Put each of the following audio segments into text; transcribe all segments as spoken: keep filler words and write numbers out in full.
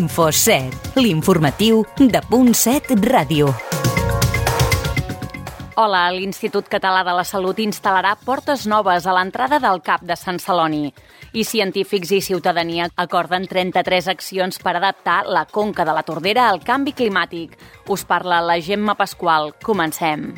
Info set, l'informatiu de Punt set Ràdio. Hola, l'Institut Català de la Salut instal·larà portes noves a l'entrada del CAP de Sant Celoni. I científics i ciutadania acorden trenta-tres accions per adaptar la conca de la Tordera al canvi climàtic. Us parla la Gemma Pasqual. Comencem.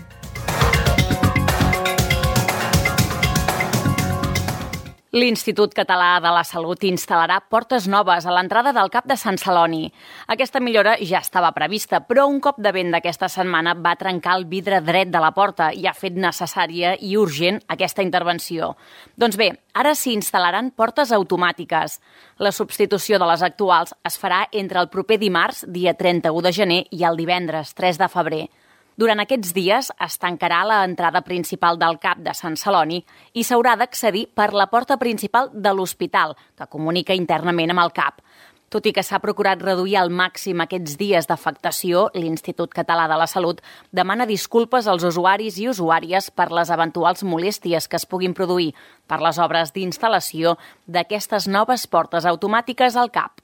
L'Institut Català de la Salut instal·larà portes noves a l'entrada del CAP de Sant Celoni. Aquesta millora ja estava prevista, però un cop de vent d'aquesta setmana va trencar el vidre dret de la porta i ha fet necessària i urgent aquesta intervenció. Doncs bé, ara s'hi instal·laran portes automàtiques. La substitució de les actuals es farà entre el proper dimarts, dia trenta-u de gener, i el divendres, tres de febrer. Durant aquests dies es tancarà l'entrada principal del CAP de Sant Celoni i s'haurà d'accedir per la porta principal de l'hospital, que comunica internament amb el CAP. Tot i que s'ha procurat reduir al màxim aquests dies d'afectació, l'Institut Català de la Salut demana disculpes als usuaris i usuàries per les eventuals molèsties que es puguin produir per les obres d'instal·lació d'aquestes noves portes automàtiques al CAP.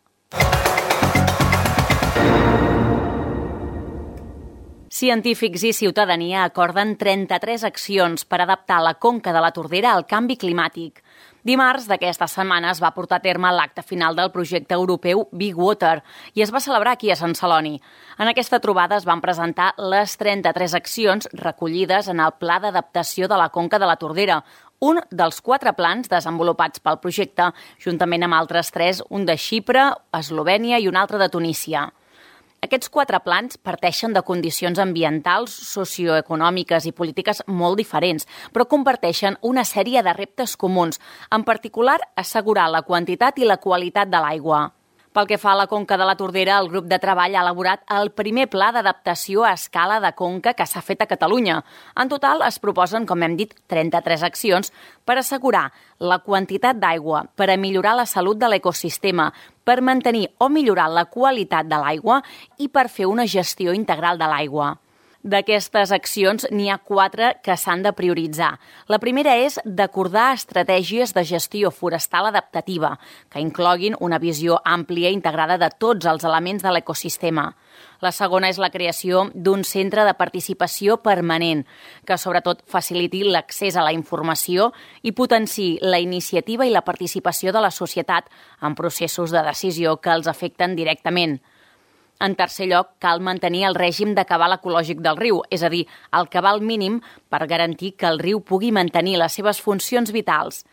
Científics i ciutadania acorden trenta-tres accions per adaptar la conca de la Tordera al canvi climàtic. Dimarts d'aquesta setmana es va portar a terme l'acte final del projecte europeu Big Water i es va celebrar aquí a Sant Celoni. En aquesta trobada es van presentar les trenta-tres accions recollides en el Pla d'Adaptació de la Conca de la Tordera, un dels quatre plans desenvolupats pel projecte, juntament amb altres tres, un de Xipre, Eslovènia i un altre de Tunísia. Aquests quatre plans parteixen de condicions ambientals, socioeconòmiques i polítiques molt diferents, però comparteixen una sèrie de reptes comuns, en particular assegurar la quantitat i la qualitat de l'aigua. Pel que fa a la conca de la Tordera, el grup de treball ha elaborat el primer pla d'adaptació a escala de conca que s'ha fet a Catalunya. En total es proposen, com hem dit, trenta-tres accions per assegurar la quantitat d'aigua, per a millorar la salut de l'ecosistema, per mantenir o millorar la qualitat de l'aigua i per fer una gestió integral de l'aigua. D'aquestes accions n'hi ha quatre que s'han de prioritzar. La primera és d'acordar estratègies de gestió forestal adaptativa, que incloguin una visió àmplia i integrada de tots els elements de l'ecosistema. La segona és la creació d'un centre de participació permanent, que sobretot faciliti l'accés a la informació i potenciï la iniciativa i la participació de la societat en processos de decisió que els afecten directament. En tercer lloc, cal mantenir el règim de cabal ecològic del riu, és a dir, el cabal mínim per garantir que el riu pugui mantenir les seves funcions vitals.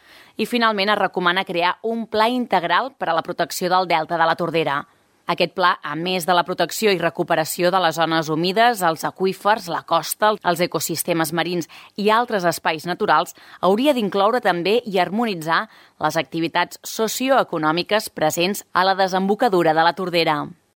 I finalment es recomana crear un pla integral per a la protecció del delta de la Tordera. Aquest pla, a més de la protecció i recuperació de les zones humides, els aqüífers, la costa, els ecosistemes marins i altres espais naturals, hauria d'incloure també i harmonitzar les activitats socioeconòmiques presents a la desembocadura de la Tordera.